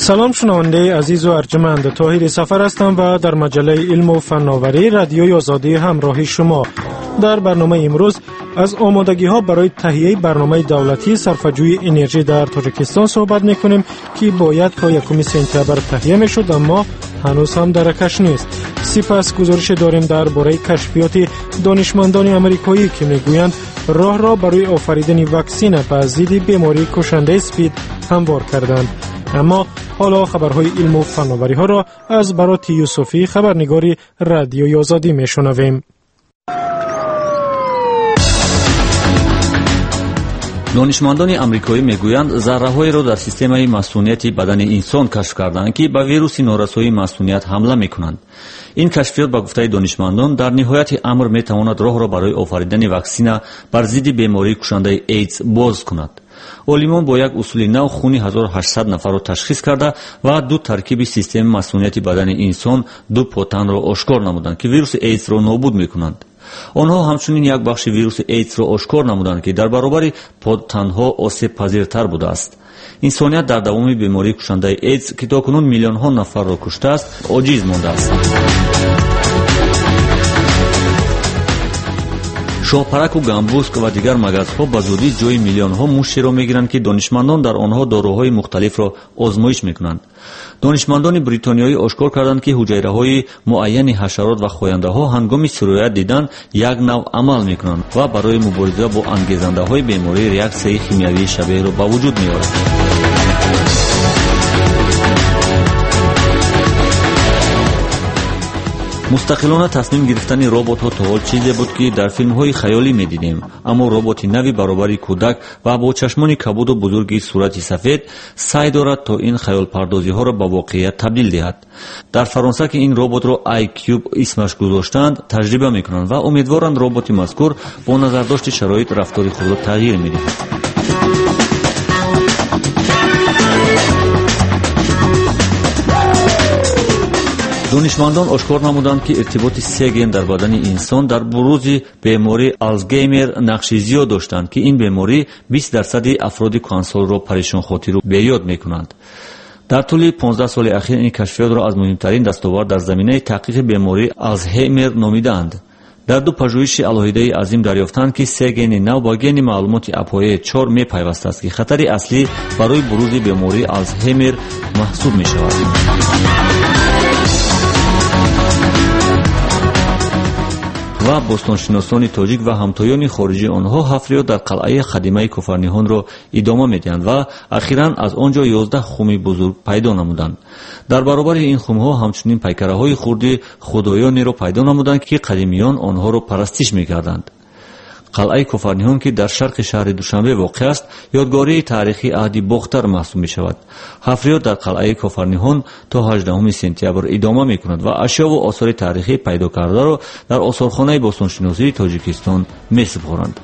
Салом, шунавандаи азизу арҷманд. Тоҳири Сафар ҳастам ва дар маҷаллаи илму фанноварӣ Радиои Озодӣ ҳамроҳи шумо. Дар барномаи имрӯз аз омодагиҳо барои таҳияи барномаи давлатии сарфаҷӯии энержӣ дар Тоҷикистон суҳбат мекунем, ки бояд то 1 сентябр таҳия мешуд, аммо ҳанӯз ҳам даракаш нест. Сипас гузорише дорем дар бораи кашфиёти донишмандони амрикоӣ, ки мегӯянд роҳро барои офаридани ваксина ба зидди бемории кушандаи спид ҳамвор карданд. Аммо ҳоло хабарҳои илму фанновариҳоро аз Бароти Юсуфӣ, хабарнигори Радиои Озодӣ мешунавем. Донишмандони амрикоӣ мегӯянд, зарраҳоеро дар системаи масунияти бадани инсон кашф карданд, ки ба вируси норасоии масуният ҳамла мекунанд. Ин кашфиёт, ба гуфтаи донишмандон, дар ниҳояти амр метавонад роҳро барои офаридани ваксина бар зидди бемории кушандаи эйдс боз кунад. Олимон бо як усули нав хуни 1800 нафарро ташхис карда ва ду таркиби системаи масунияти бадани инсон, ду потанро ошкор намуданд, ки вируси эйдсро нобуд мекунанд. Онҳо ҳамчунин як бахши вируси эйдсро ошкор намуданд, ки дар баробари потанҳо осебпазиртар будааст. Инсоният дар давоми бемории кушандаи эйдс, ки то кунун миллионҳо нафарро куштааст, оҷиз мондааст. Шоҳпараку гамбуск ва дигар магазҳо ба зудӣ ҷои миллионҳо мушеро мегиранд, ки донишмандон дар онҳо доруҳои мухталифро озмоиш мекунанд. Донишмандони бритониёӣ ошкор карданд, ки ҳуҷайраҳои муайяни ҳашарот ва хояндаҳо ҳангоми сироят дидан як нав амал мекунанд ва барои мубориза бо ангезандаҳои беморӣ реаксияи химиявии шабеҳро ба вуҷуд меоранд. Мустақилона тасмим гирифтани роботҳо то ҳол чизе буд, ки дар филмҳои хаёлӣ медидем, аммо роботи нави баробари кӯдак ва бо чашмони кабуду бузурги сурати сафед саъй дорад, то ин хаёлпардозиҳоро ба воқеият табдил диҳад. Дар Фаронса, ки ин роботро iCube исмаш гузоштаанд, таҷриба мекунанд ва умедворанд, роботи мазкур бо назардошти шароит рафтори худро тағйир медиҳад. Донишмандон ошкор намуданд, ки иртиботи се ген дар бадани инсон дар бурузи бемории Алцгеймер нақши зиёд доштанд, ки ин беморӣ 20% афроди кӯҳансолро парешонхотиру беёд мекунанд. Дар тӯли 15 соли ахир ин кашфиётро аз муҳимтарин дастовард дар заминаи таҳқиқи бемории Алцгеймер номидаанд. Дар ду пажӯҳиши алоҳидаи азим дарёфтанд, ки се гени нав ба гени маълумоти апоe 4 мепайвастааст, ки хатари аслӣ барои бурузи бемории Алцгеймер маҳсуб мешавад. Ва бостоншиносони тоҷик ва ҳамтоёни хориҷии онҳо ҳафриёт дар қалъаи қадимаи Кофарниҳонро идома медиҳанд ва ахиран аз он ҷо 11 хуми бузург пайдо намуданд. Дар баробари ин хумҳо ҳамчунин пайкараҳои хурди худоёнеро пайдо намуданд, ки қадимиён онҳоро парастиш мекарданд. Қалъаи Кофарниҳон, ки дар шарқи шаҳри Душанбе воқеъ аст, ёдгории таърихии аҳди Бохтар маҳсуб мешавад. Ҳафриёт дар қалъаи Кофарниҳон то 18 сентябр идома мекунад ва ашёву осори таърихӣ пайдо кардаро дар осорхонаи бостоншиносии Тоҷикистон месупоранд.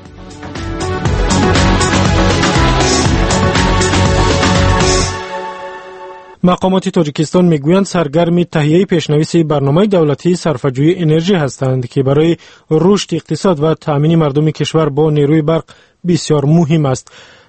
Мақомоти Тоҷикистон мегӯянд, саргарми таҳияи пешнависи барномаи давлатии сарфаҷӯии энержӣ ҳастанд, ки барои рушди иқтисод ва таъмини мардуми кишвар бо нерӯи барқ бисёр муҳим аст.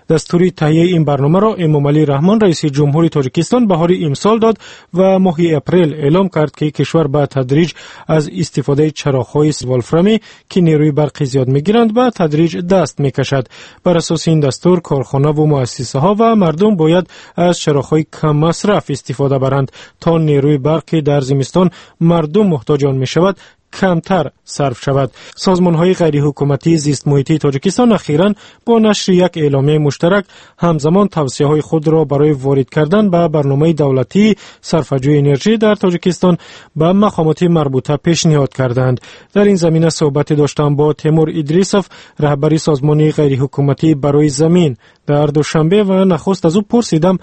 Дастури таҳияи ин барномаро Эмомалӣ Раҳмон, раиси ҷумҳури Тоҷикистон, баҳори имсол дод ва моҳи апрел эълом кард, ки кишвар ба тадриҷ аз истифодаи чароғҳои волфрамӣ, ки нерӯи барқи зиёд мегиранд, ба тадриҷ даст мекашад. Бар асоси ин дастур корхонаву муассисаҳо ва мардум бояд аз чароғҳои каммасраф истифода баранд, то нерӯи барқи дар зимистон мардум муҳтоҷи он мешавад камтар сарф шавад. Созмонҳои ғайриҳукуматии зистмуҳитии Тоҷикистон ахиран бо нашри як эъломияи муштарак ҳамзамон тавсияҳои худро барои ворид кардан ба барномаи давлатии сарфаҷӯи энержӣ дар Тоҷикистон ба мақомоти марбута пешниҳод карданд. Дар ин замина суҳбате доштам бо Темур Идрисов, раҳбари созмони ғайриҳукуматӣ «Барои замин» дар Душанбе, ва нахуст аз ӯ пурсидам,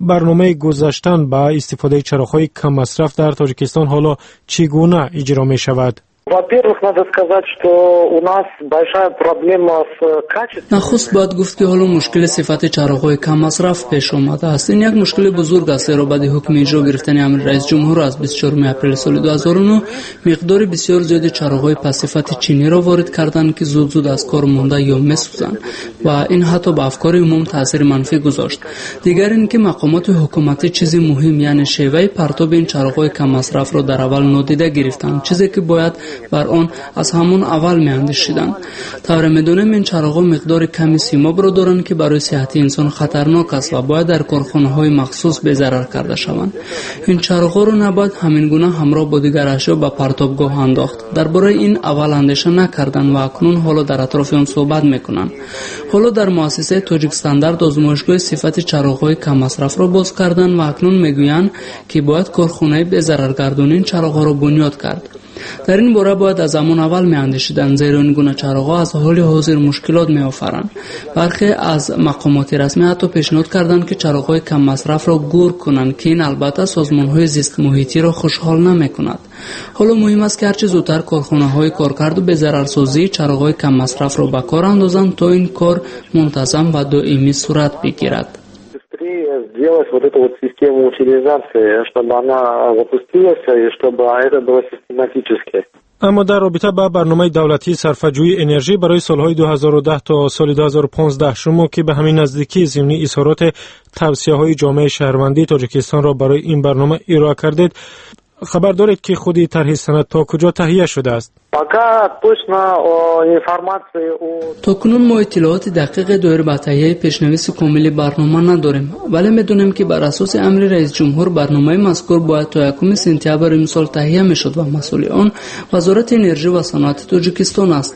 барномаи гузаштан ба истифодаи чароғҳои каммасраф дар Тоҷикистон ҳоло чӣ гуна иҷро мешавад. Во-первых, надо сказать, что у нас большая проблема с качеством. Нахуст бояд гуфт, ки ҳоло мушкили сифати чароғҳои каммасраф пеш омадааст. Ин як мушкили бузург аст, зеро баъди ҳукми иҷро гирифтани амри раисҷумҳур аз 24 апрели соли 2009 миқдори бисёр зиёди чароғҳои пастсифати чиниро ворид карданд, ки зуд-зуд аз кор монда ё месӯзанд, ва ин ҳатто ба афкори умум таъсири манфӣ гузошт. Дигар ин ки мақомоти ҳукуматӣ чизи муҳим, яъне шеваи партоби ин чароғҳои каммасрафро дар аввал нодида гирифтанд, чизе ки бояд бар он аз ҳамон аввал меандешиданд. Тавре медонем, ин чароғҳо миқдори ками симобро доранд, ки барои сиҳати инсон хатарнок аст ва бояд дар корхонаҳои махсус безарар карда шаванд. Ин чароғҳоро набояд ҳамин гуна ҳамроҳ бо дигар ашё ба партобгоҳ андохт. Дар бораи ин аввал андеша накарданд ва акнун ҳоло дар атрофи он суҳбат мекунанд. Ҳоло дар муассисаи Тоҷикстандарт озмоишгоҳи сифати чароғҳои каммасрафро боз карданд ва акнун мегӯянд, ки бояд корхонаи безараргардонии ин чароғҳоро бунёд кард. Дар ин бора бояд аз ҳамон аввал меандешиданд, зеро ин гуна чароғҳо аз ҳоли ҳозир мушкилот меофаранд. Бархе аз мақомоти расмӣ ҳатто пешниҳод карданд, ки чароғҳои каммасрафро гур кунанд, ки ин албатта созмонҳои зистмуҳитиро хушҳол намекунад. Ҳоло муҳим аст, ки ҳарчи зудтар корхонаҳои коркарду безарарсозии чароғҳои каммасрафро ба кор андозанд, то ин кор мунтазам ва доимӣ сурат бигирад. Сделать вот эту вот систему утилизации, чтобы она запустилась и чтобы это было систематически. Аммо дар робита ба барномаи давлатии сарфаҷӯии энержӣ барои солҳои 2010 то соли 2015, шумо, ки ба ҳамин наздикӣ зимни изҳороти тавсияҳои ҷомеаи шаҳрвандии Тоҷикистонро барои ин барнома ироа кардед, хабар доред, ки худи тарҳи санад то куҷо таҳия шудааст? Пока точно информации о То кунун мо иттилооти дақиқе доир ба таҳияи пешнависи комили барнома надорем, вале медонем, ки бар асоси амри раисҷумҳур барномаи мазкур бояд то 1 сентябри имсол таҳия мешуд ва масъули он Вазорати энержӣ ва саноати Тоҷикистон аст.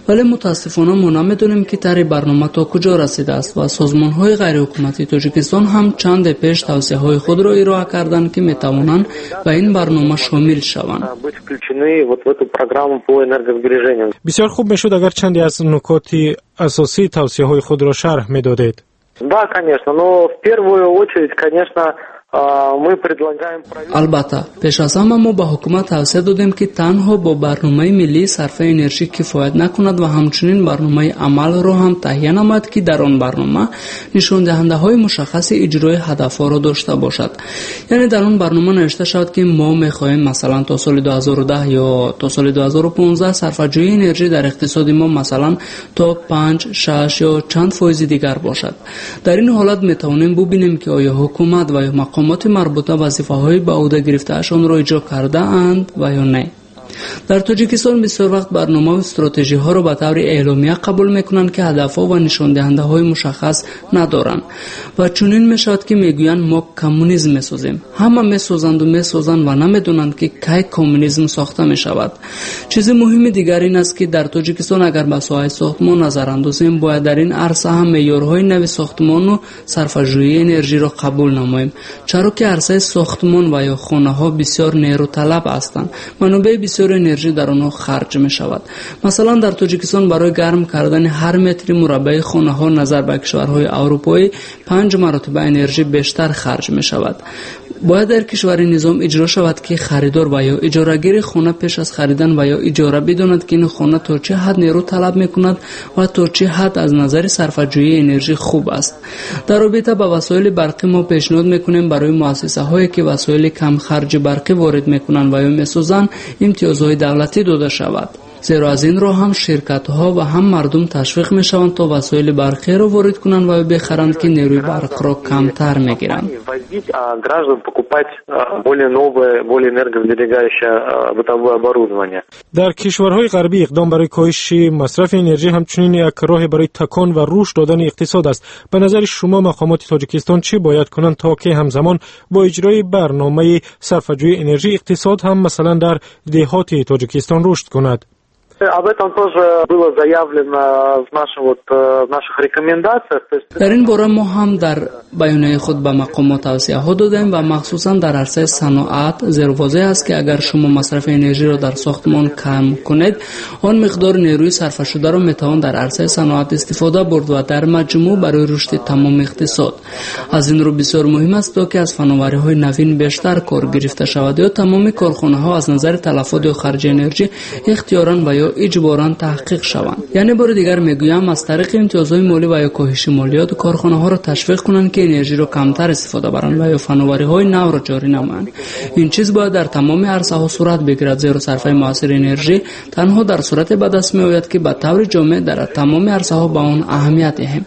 Вале мутаассифона мо намедонем, ки тарҳи барнома то куҷо расидааст, ва созмонҳои ғайриҳукуматии Тоҷикистон ҳам чанде пеш тавсияҳои худро ироа карданд, ки метавонанд ба ин барнома шомил шаванд. Быть включены вот в эту программу по энергосбережению. Бисёр хуб мешуд, агар чанде аз нукоти асосии тавсияҳои худро шарҳ медодед. Да, конечно, но в первую очередь, конечно, мы предлагаем Албатта, пеш аз ҳама мо ба ҳукумат тавсия додем, ки танҳо бо барномаи миллии сарфаи энержӣ кифоят накунад ва ҳамчунин барномаи амалро ҳам таҳия намояд, ки дар он барнома нишондиҳандаҳои мушаххаси иҷрои ҳадафҳоро дошта бошад. Яъне дар он барнома навишта шавад, ки мо мехоҳем, масалан, то соли 2010 ё то соли 2015 сарфаҷӯии энержӣ дар иқтисоди мо, масалан, то 5, 6 ё чанд фоизи дигар бошад. Дар ин ҳолат метавонем бубинем, ки оё ҳукумат ва ё мақомоти марбута вазифаҳои ба ӯҳда гирифтаашонро иҷро кардаанд ва ё не. Дар Тоҷикистон бисёр вақт барномаву стратежиҳоро ба таври эъломия қабул мекунанд, ки ҳадафҳо ва нишондиҳандаҳои мушаххас надоранд, ва чунин мешавад, ки мегӯянд: «Мо коммунизм месозем». Ҳама месозанду месозанд ва намедонанд, ки кай коммунизм сохта мешавад. Чизи муҳими дигар ин аст, ки дар Тоҷикистон агар ба соҳаи сохтмон назар андозем, бояд дар ин арса ҳам меъёрҳои нави сохтмону сарфаҷӯии энержиро қабул намоем, чаро ки арсаи сохтмон ва ё хонаҳо бисёр нерӯталаб ҳастанд, манобеи бисёри энержӣ дар онҳо харҷ мешавад. Масалан, дар Тоҷикистон барои гарм кардани ҳар метри мураббаи хонаҳо назар ба кишварҳои аврупоӣ панҷ маротиба энержӣ бештар харҷ мешавад. Бояд дар кишвар ин низом иҷро шавад, ки харидор ва ё иҷорагири хона пеш аз харидан ва ё иҷора бидонад, ки ин хона то чӣ ҳад нерӯ талаб мекунад ва то чӣ ҳад аз назари сарфаҷӯии энержӣ хуб аст. Дар робита ба васоили барқӣ мо пешниҳод мекунем, барои муассисаҳое, ки васоили камхарҷи барқӣ ворид мекунанд ва ё месозанд, имтиёзҳои давлатӣ дода шавад, зеро аз ин роҳ ҳам ширкатҳо ва ҳам мардум ташвиқ мешаванд, то васоили барқиро ворид кунанд ва ё бихаранд, ки нерӯи барқро камтар мегиранд. Ввозить, а граждан покупать более новое, более энергосберегающее бытовое оборудование. Дар кишварҳои ғарбӣ иқдом барои коҳиши масрафи энержӣ ҳамчунин як роҳе барои такон ва рушд додани иқтисод аст. Ба назари шумо, мақомоти Тоҷикистон чӣ бояд кунанд, то ки ҳамзамон бо иҷрои барномаи сарфаҷӯии энержӣ иқтисод ҳам, масалан, дар деҳоти Тоҷикистон рушд кунад? Об этом тоже было заявлено в нашем вот, в наших рекомендациях. То есть... Дар ин бора мо ҳам дар баёнияи худ ба мақомот тавсияҳо додем ва махсусан дар арсаи саноат, зеро возеҳ аст, ки агар шумо масрафи энержиро дар сохтмон кам кунед, он миқдори нерӯи сарфашударо метавон дар арсаи саноат истифода бурд ва дар маҷмӯъ барои рушди тамоми иқтисод. Аз ин рӯ бисёр муҳим аст, то ки аз фановариҳои навин бештар кор гирифта шавад ё тамоми корхонаҳо аз назари талафот ё харҷи энержӣ ихтиёран ва ё иҷборан таҳқиқ шаванд. Яъне бори дигар мегӯям, аз тариқи имтиёзҳои молӣ ва ё коҳиши молиёт корхонаҳоро ташвиқ кунанд, ки энержиро камтар истифода баранд ва ё фановариҳои навро ҷорӣ намоянд. Ин чиз бояд дар тамоми арсаҳо сурат бигирад, зеро сарфаи муассири энержӣ танҳо дар сурате ба даст меояд, ки ба таври ҷомеъ дар тамоми арсаҳо ба он аҳамият диҳем.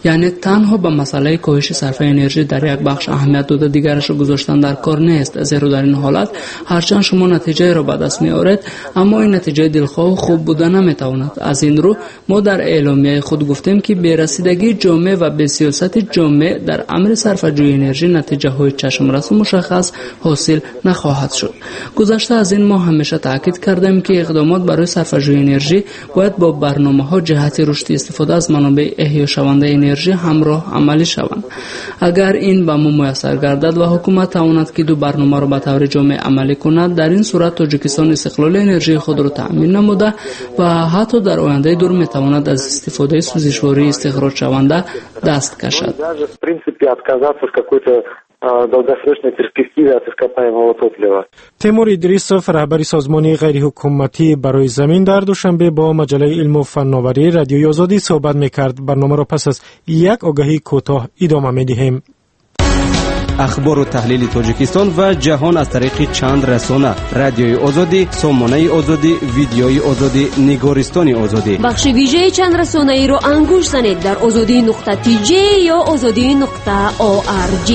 Яъне танҳо ба масъалаи коҳиши сарфаи энержӣ дар як бахш аҳамият дода, дигарашро гузоштан дар кор нест, зеро дар ин ҳолат ҳарчанд шумо натиҷаеро ба даст меоред, аммо ин натиҷаи дилхоҳу хуб буда наметавонад. Аз ин рӯ мо дар эъломияи худ гуфтем, ки берасидагии ҷомеъ ва бесиёсати ҷомеъ дар амри сарфаҷӯии энержӣ натиҷаҳои чашмрасу мушаххас ҳосил нахоҳад шуд. Гузашта аз ин, мо ҳамеша таъкид кардем, ки иқдомот барои сарфаҷӯии энержӣ бояд бо барномаҳо ҷиҳати рушди истифода аз манобеи эҳёшавандаи энержӣ ҳамроҳ амалӣ шаванд. Агар ин ба мо муяссар гардад ва ҳукумат тавонад, ки ду барномаро ба таври ҷомеъ амалӣ кунад, дар ин сурат Тоҷикистон истиқлоли энержии худро таъмин намуда ва ҳатто дар ояндаи дур метавонад аз истифодаи сӯзишвории истихроҷшаванда даст кашад. Даже в принципе отказаться в какой-то долгосрочной перспективе от ископаемого топлива. Темур Идрисов, раҳбари созмони ғайриҳукуматӣ «Барои замин» дар Душанбе, бо маҷаллаи илму фанноварии Радиои Озодӣ суҳбат мекард. Барномаро пас аз як огаҳии кӯтоҳ идома медиҳем. Ахбору таҳлили Тоҷикистон ва ҷаҳон аз тариқи чанд расона: Радиои Озодӣ, Сомонаи Озодӣ, Видеои Озодӣ, Нигористони Озодӣ. Бахши вижаи чандрасонаиро ангушт занед дар озодӣ.тж ё озодӣ.орг.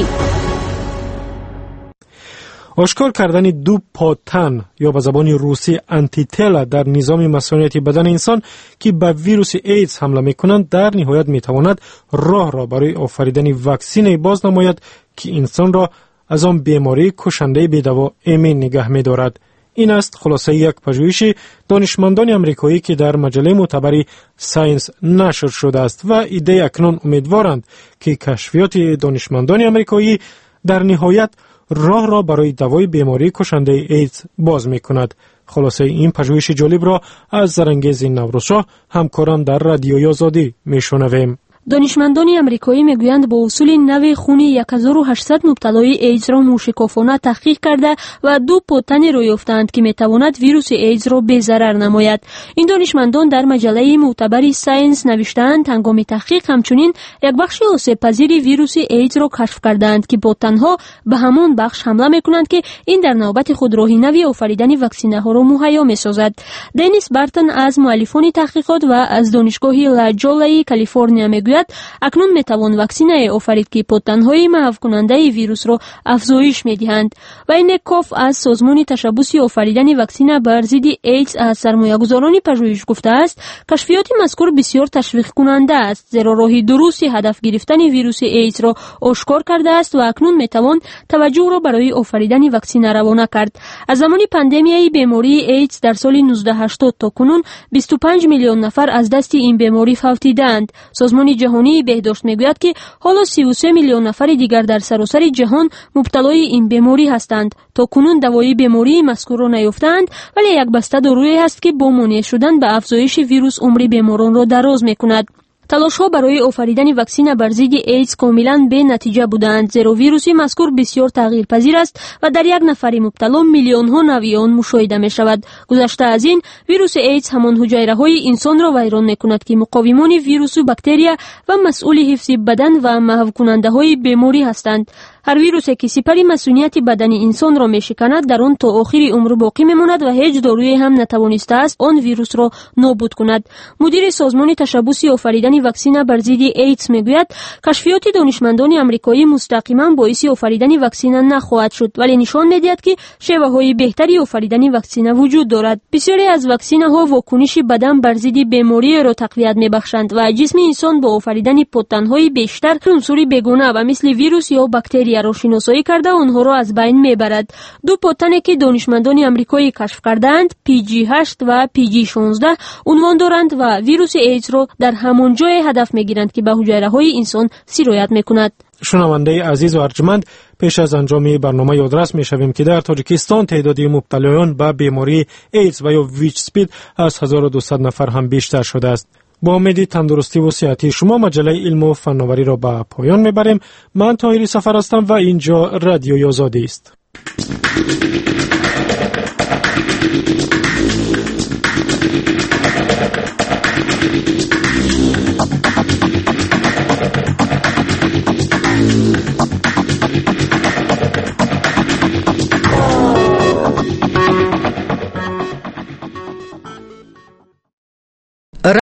Ошкор кардани ду потан ё ба забони русӣ антитела дар низоми масунияти бадани инсон, ки ба вируси эйдс ҳамла мекунанд, дар ниҳоят метавонад роҳро барои офаридани ваксинае боз намояд, ки инсонро аз он бемории кушандаи бедаво эмин нигаҳ медорад. Ин аст хулосаи як пажӯҳиши донишмандони амрикоӣ, ки дар маҷаллаи мӯътабари Сайнс нашр шудааст, ва иддаи акнун умедворанд, ки кашфиёти донишмандони амрикоӣ дар ниҳоят роҳро барои давои бемории кушандаи эйдс боз мекунад. Хулосаи ин пажӯҳиши ҷолибро аз Зарангези Наврӯзшоҳ, ҳамкорам дар Радиои Озодӣ, мешунавем. Донишмандони амрикоӣ мегӯянд, бо усули нави хуни 1800 мубталои эйдсро мушикофона таҳқиқ карда ва ду потанеро ёфтаанд, ки метавонад вируси эйдсро безарар намояд. Ин донишмандон дар маҷаллаи мӯътабари Сайнс навиштаанд, ҳангоми таҳқиқ ҳамчунин як бахши осебпазири вируси эйдсро кашф кардаанд, ки потанҳо ба ҳамон бахш ҳамла мекунанд, ки ин дар навбати худ роҳи нави офаридани ваксинаҳоро муҳайё месозад. Деннис Бартон аз муаллифони таҳқиқот ва аз Донишгоҳи Ла Ҷоллаи Калифорния мегӯяд, акнун метавон ваксинае офарид, ки потанҳои маҳвкунандаи вирусро афзоиш медиҳанд. Вайне Коф аз созмони ташаббуси офаридани ваксина бар зидди эйдс аз сармоягузорони пажӯҳиш гуфтааст, кашфиёти мазкур бисёр ташвиқкунанда аст, зеро роҳи дурусти ҳадаф гирифтани вируси эйдсро ошкор кардааст ва акнун метавон таваҷҷӯҳро барои офаридани ваксина равона кард. Аз замони пандемияи бемории эйдс дар соли 1980 то кунун 25 миллион нафар аз дасти ин беморӣ фавтидаанд. Созмони ҷаҳонии беҳдошт мегӯяд, ки ҳоло 33 миллион нафари дигар дар саросари ҷаҳон мубталои ин беморӣ ҳастанд. То кунун давои бемории мазкурро наёфтаанд, вале як баста доруе ҳаст, ки бо монеъ шудан ба афзоиши вирус умри беморонро дароз мекунад. Талошҳо барои офаридани ваксина бар зидди эйдс комилан бенатиҷа будаанд, зеро вируси мазкур бисёр тағйирпазир аст ва дар як нафари мубтало миллионҳо навъи он мушоҳида мешавад. Гузашта аз ин, вируси эйдс ҳамон ҳуҷайраҳои инсонро вайрон мекунад, ки муқовимони вирусу бактерия ва масъули ҳифзи бадан ва маҳвкунандаҳои беморӣ ҳастанд. Ҳар вирусе, ки сипари масунияти бадани инсонро мешиканад, дар он то охири умр боқӣ мемонад ва ҳеҷ доруе ҳам натавонистааст он вирусро нобуд кунад. Мудири созмони ташаббуси офаридани ваксина бар зидди эйдс мегӯяд, кашфиёти донишмандони амрикоӣ мустақиман боиси офаридани ваксина нахоҳад шуд, вале нишон медиҳад, ки шеваҳои беҳтари офаридани ваксина вуҷуд дорад. Бисёре аз ваксинаҳо вокуниши бадан бар зидди бемориеро тақвият мебахшанд ва ҷисми инсон бо офаридани потанҳои бештар унсури бегона ба мисли вирус ё бактерия бактерияро шиносоӣ карда, онҳоро аз байн мебарад. Ду потане, ки донишмандони амрикоӣ кашф кардаанд, PG8 ва PG16 унвон доранд ва вируси эйдсро дар ҳамон ҷое ҳадаф мегиранд, ки ба ҳуҷайраҳои инсон сироят мекунад. Шунавандаи азизу арҷманд, пеш аз анҷоми барнома ёдрас мешавем, ки дар Тоҷикистон теъдоди мубталоён ба бемории эйдс ва ё ВИЧ-СПИД аз 1200 нафар ҳам бештар шудааст. Бо умеди тандурустиву сиҳатии шумо маҷаллаи илму фанновариро ба поён мебарем. Ман Тоҳири Сафар ҳастам ва ин ҷо Радиои Озодист.